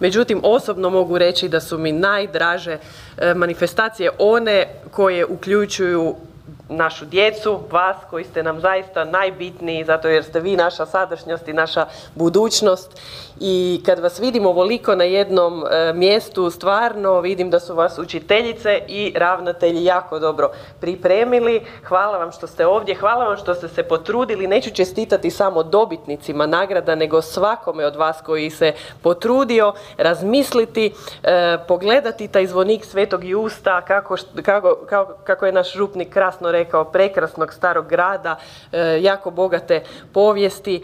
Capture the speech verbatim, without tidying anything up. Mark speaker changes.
Speaker 1: Međutim, osobno mogu reći da su mi najdraže manifestacije one koje uključuju našu djecu, vas koji ste nam zaista najbitniji zato jer ste vi naša sadašnjost i naša budućnost. I kad vas vidim ovoliko na jednom e, mjestu, stvarno vidim da su vas učiteljice i ravnatelji jako dobro pripremili. Hvala vam što ste ovdje, hvala vam što ste se potrudili. Neću čestitati samo dobitnicima nagrada, nego svakome od vas koji se potrudio razmisliti, e, pogledati taj zvonik Svetog Justa, kako, kako, kako, kako je naš župnik krasno rekao, prekrasnog starog grada, e, jako bogate povijesti